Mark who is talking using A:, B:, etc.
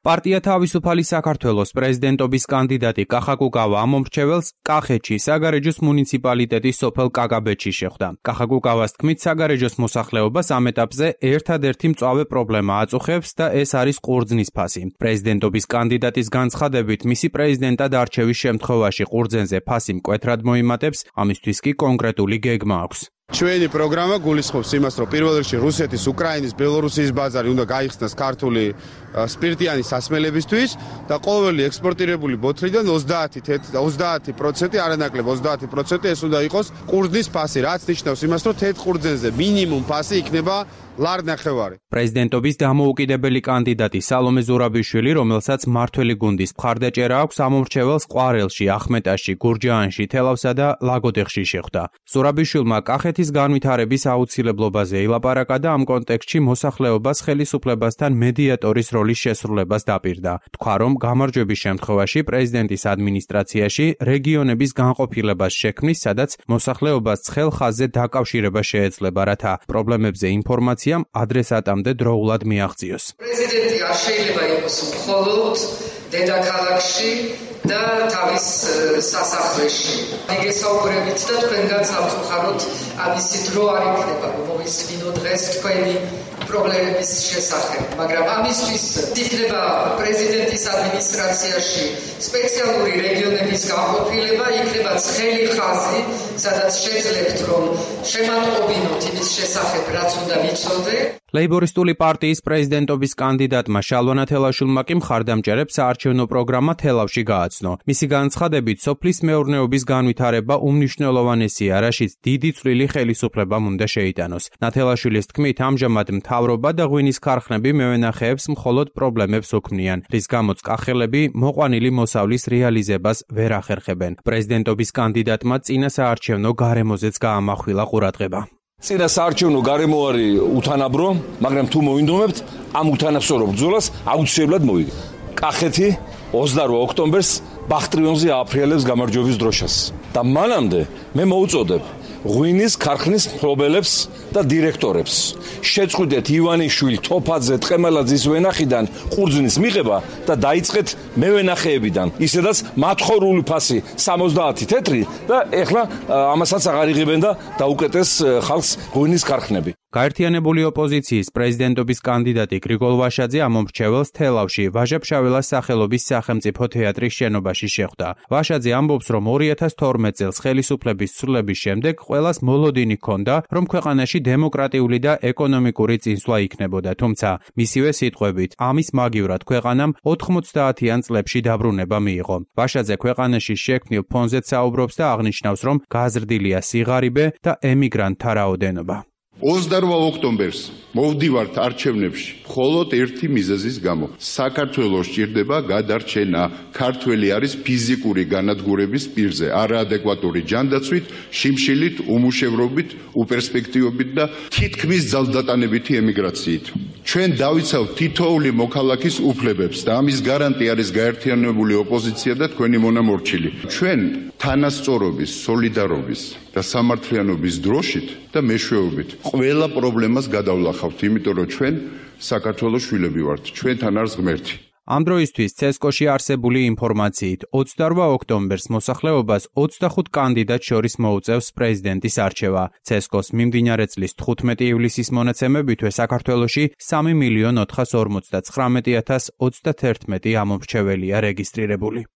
A: პარტია თავისუფალი საქართველოს პრეზიდენტობის კანდიდატი კახა კუკავა ამომრჩეველს კახეთში საგარეჯოს მუნიციპალიტეტის სოფელ კაკაბეთში შეხვდა. კახა კუკავას თქმით, საგარეჯოს მოსახლეობას ამ ეტაპზე ერთადერთი მწვავე პრობლემა აწუხებს და ეს არის ყურძნის ფასი. პრეზიდენტობის კანდიდატის განცხადებით, მისი პრეზიდენტად არჩევის შემთხვევაში ყურძენზე ფასი მკვეთრად მოიმატებს, ამისთვის კი კონკრეტული გეგმა აქვს.
B: ჩვენი პროგრამა გულისხმობს იმას, რომ პირველ რიგში რუსეთის, უკრაინის, ბელორუსიის ბაზარი უნდა გაიხსნას ქართული სპირტიანი სასმელებისთვის და ყოველი ექსპორტირებული ბოთლიდან 30%, არანაკლებ 30% ეს უნდა იყოს ყურძნის ფასი, რაც ნიშნავს იმას, რომ თეთრ ყურძენზე მინიმუმ ფასი იქნება ლარ-ნახევარი.
A: პრეზიდენტობის დამოუკიდებელი კანდიდატი სალომე ზურაბიშვილი, რომელსაც მმართველი გუნდის მხარდაჭერა აქვს, ამომრჩეველს ყვარელში, ახმეტაში, გურჯაანში, თელავსა და ლაგოდეხში შეხვდა. ზურაბიშვილმა კახეთის განვითარების აუცილებლობაზე ილაპარაკა და ამ კონტექსტში მოსახლეობას ხელისუფლებასთან მედიატორის როლის შესრულებას დაპირდა. თქვა, რომ გამარჯვების შემთხვევაში პრეზიდენტის ადმინისტრაციაში რეგიონების განყოფილებას შექმნის, სადაც მოსახლეობას ცხელ ხაზზე დაკავშირება შეეძლება, რათა პრობლემებზე ინფორმაციამ ადრესატამდე დროულად მიაღწიოს.
C: პრეზიდენტი არ შეიძლება იყოს მხოლოდ დედაქალაქში და თავის სასახლეში. მიგესაუბრებით და თქვენგანაც ამხაროთ ამისი დრო არ იქნება, რომ მოვისმინო დღეს თქვენი პრობლემების შესახებ, მაგრამ ამისთვის იქნება პრეზიდენტის ადმინისტრაციაში სპეციალური რეგიონების განყოფილება, იქნება ცხელი ხაზი, სადაც შეძლებთ, რომ შემატყობინოთ იმის შესახებ, რაც უნდა ვიცოდე.
A: ლეიბორისტული პარტიის პრეზიდენტობის კანდიდატმა შალვა ნათელაშვილმა კი მხარდამჭერებს საარჩევნო პროგრამა თელავში გააცნო. მისი განცხადებით, სოფლის მეურნეობის განვითარება უმნიშვნელოვანესია, რაშიც დიდი წვლილი ხელისუფლებამ უნდა შეიტანოს. ნათელაშვილის თქმით, ამჟამად მთავრობა და ღვინის ქარხნები მევენახეებს მხოლოდ პრობლემებს უქმნიან, რის გამოც კახელები მოყვანილი მოსავლის რეალიზებას ვერ ახერხებენ. პრეზიდენტობის კანდიდატმა წინა საარჩევნო გარემოზეც გაამახვილა ყურადღება.
D: წინა საარჩევნო გარემო არის უთანაბრო, მაგრამ თუ მოინდომებთ, ამ უთანასწორო ბრძოლას აუცილებლად მოვიგებთ. კახეთი 28 ოქტომბერს ბახტრიონზე ააფრიალებს გამარჯვების დროშას და მანამდე მე მოუწოდებ ღვინის ქარხნის მფლობელებს და დირექტორებს შეწყვიტეთ ივანიშვილ, თოფაძე, ტყემალაძის ვენახიდან ყურძნის მიღება და დაიწყეთ მევენახეებიდან. ისედაც მათხოვრული ფასი 70 თეთრი და ეხლა ამასაც აღარ იღებენ და დაუკეტეს ხალხს ღვინის ქარხნები.
A: გაერთიანებული ოპოზიციის პრეზიდენტობის კანდიდატი გრიგოლ ვაშაძე ამომრჩეველს თელავში ვაჟა-ფშაველას სახელობის სახელმწიფო თეატრის შენობაში შეხვდა. ვაშაძე ამბობს, რომ 2012 წელს ხელისუფლების ცვლილების შემდეგ ყველას მოლოდინი ჰქონდა, რომ ქვეყანაში დემოკრატიული და ეკონომიკური წინსვლა იქნებოდა, თუმცა მისივე სიტყვებით, ამის მაგივრად ქვეყანამ 90-იან წლებში დაბრუნება მიიღო. ვაშაძე ქვეყანაში შექმნილ ფონზეც საუბრობს და აღნიშნავს, რომ გაზრდილია სიღარიბე და ემიგრანტთა რაოდენობა.
E: 28 ოქტომბერს მოვდივართ არჩევნებში მხოლოდ ერთი მიზეზის გამო. საქართველოს სჭირდება გადარჩენა. ქართველი არის ფიზიკური განადგურების პირზე, არაადეკვატური ჯანდაცვით, შიმშილით, უმუშევრობით, უპერსპექტივობით და თითქმის ძალდატანებითი ემიგრაციით. ჩვენ დავიცავთ თითოეული მოქალაქის უფლებებს და ამის გარანტი არის გაერთიანებული ოპოზიცია და თქვენი მონამორჩილი. ჩვენ თანასწორობის, სოლიდარობის და სამართლიანობის დროშით და მეშვეობით ყველა პრობლემას გადავლახავთ, იმიტომ რომ ჩვენ საქართველოს შვილები ვართ, ჩვენთან არის ღმერთი.
A: ამ დროისთვის ცესკოში არსებული ინფორმაციით 28 ოქტომბერს მოსახლეობას 25 კანდიდატს შორის მოუწევს პრეზიდენტის არჩევა. ცესკოს მიმდინარე წლის 15 ივლისის მონაცემებითვე საქართველოში 3.459.031 ამომრჩეველია რეგისტრირებული.